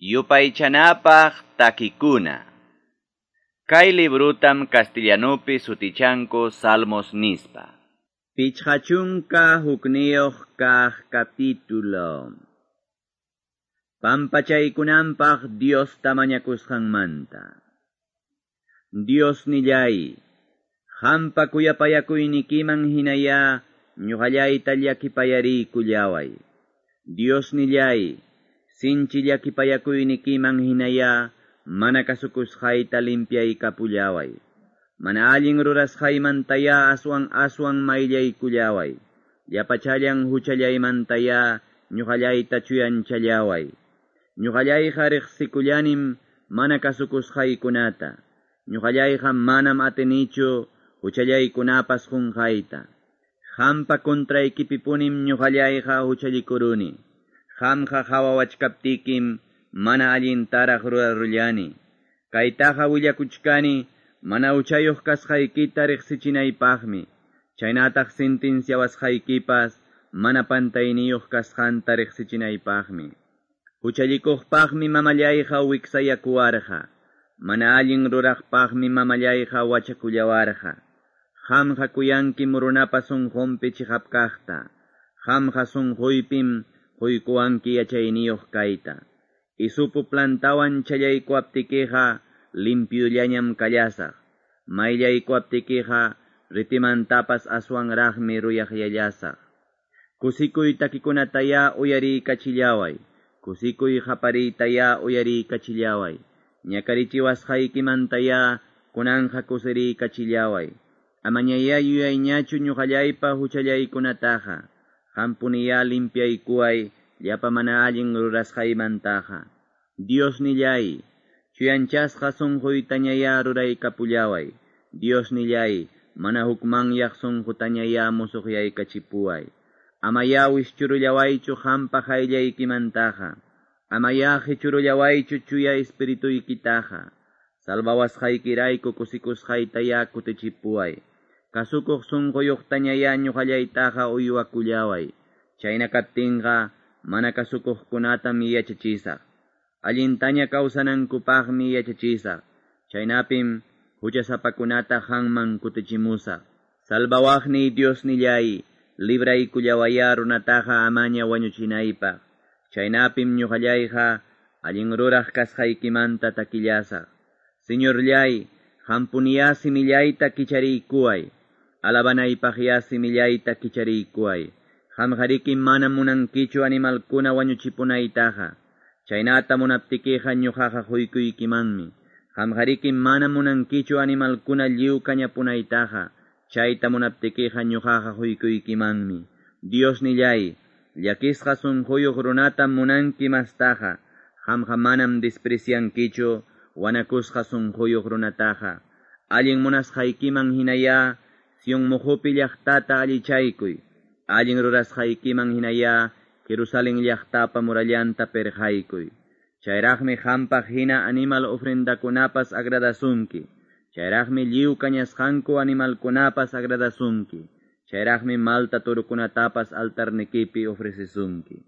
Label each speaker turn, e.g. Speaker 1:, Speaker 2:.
Speaker 1: Yupaychanapaq takikuna. Kay librutam castellanupi sutichanku Salmos nispa. 51 kaq capítulo. Pampachaykunanpaq Diosta mañakusqanmanta. Dios nillay, qampa kuyapayakuynikiman hinaya ñuqallayta llakipayariykullaway. Dios nillay, sinchi llakipayakuynikiman hinaya mana kasukusqayta limpiaykapullaway. Mana allin rurasqaymantaya aswan aswan mayllaykullaway. Llapachallan huchallaymantaya ñuqallayta chuyanchallaway. Ñuqallayqa riqsikullanim mana kasukusqaykunata. Ñuqallayqa manam atinichu huchallaykunapas qunqayta. Qampa contraykipipunim ñuqallayqa huchallikuruni. Qamqa qhawawachkaptikim mana allintaraq rurarullani. Kaytaqa willakuchkani mana huchayuq kasqaykita riqsichinaypaqmi. Chaynataq sentenciawasqaykipas mana pantayniyuq kasqanta riqsichinaypaqmi. Huchallikuqpaqmi mamallayqa wiksayakuwarqa. Mana allin ruraqpaqmi mamallayqa wachakullawarqa. Qamqa kuyankim runapa sunqunpi chiqap kaqta. Qamqa sunquypim quykuwanki yachayniyuq kayta. Isupu plantawan challaykuwaptikiqa limpyullañam kallasaq. Mayllaykuwaptikiqa ritimantapas aswanraqmi ruyaqyallasaq. Kusikuy takikunataya uyariykachillaway. Kusikuy qapariytaya uyariykachillaway. Ñakarichiwasqaykimantaya kunanja kusiriykachillaway. Amañaya yuyayñachu ñuqallaypa huchallaykunataqa. Qampuniya limpiaykuway llapa mana allin rurasqaymantaqa. Dios nillay, chuyanchasqa sunquytañaya ruraykapullaway. Dios nillay, mana hukmanyaq sunqutañaya musuqyaykachipuway. Amaya wischurullawaychu qampa qayllaykimantaqa. Amaya qichurullawaychu chuya espirituykitaqa. Salvawasqaykirayku kusikusqaytaya kutichipuway. Kasukuq sunquyuqtañaya ñuqallaytaqa uywakullaway. Chayna kaptinqa mana kasukuqkunatam yachachisaq. Allintaña kawsanankupaqmi yachachisaq. Chaynapim huchasapakunata qamman kutichimusaq. Salvawaqniy Dios nillay, libraykullawaya runataqa amaña wañuchinaypaq. Chaynapim ñuqallayqa allin ruraq kasqaykimanta takillasaq. Señorllay, qampuniya simillayta kichariykuway. Alabanaypaqya simillayta kichariykuway. Qamqariki mana munankichu animalkuna wañuchipunaytaqa. Chaynata munaptikiqa ñuqaqa quykuykimanmi. Qamqariki mana munankichu animalkuna lliw kañapunaytaqa. Chayta munaptikiqa ñuqaqa quykuykimanmi. Dios nillay, llakisqa sunquyuq runatam munanki mastaqa. Qamqa manam despreciankichu wanakusqa sunquyuq runataqa. Allin munasqaykiman hinaya Sion muhupi llaqtata allichaykuy. Allin rurasqaykiman hinaya Jerusalén llaqtapa murallanta perqaykuy. Chayraqmi qampaq hina animal ofrendakunapas agradasunki. Chayraqmi lliw kañasqanku animalkunapas agradasunki. Chayraqmi malta turukunatapas altarnikipi ofrecesunki.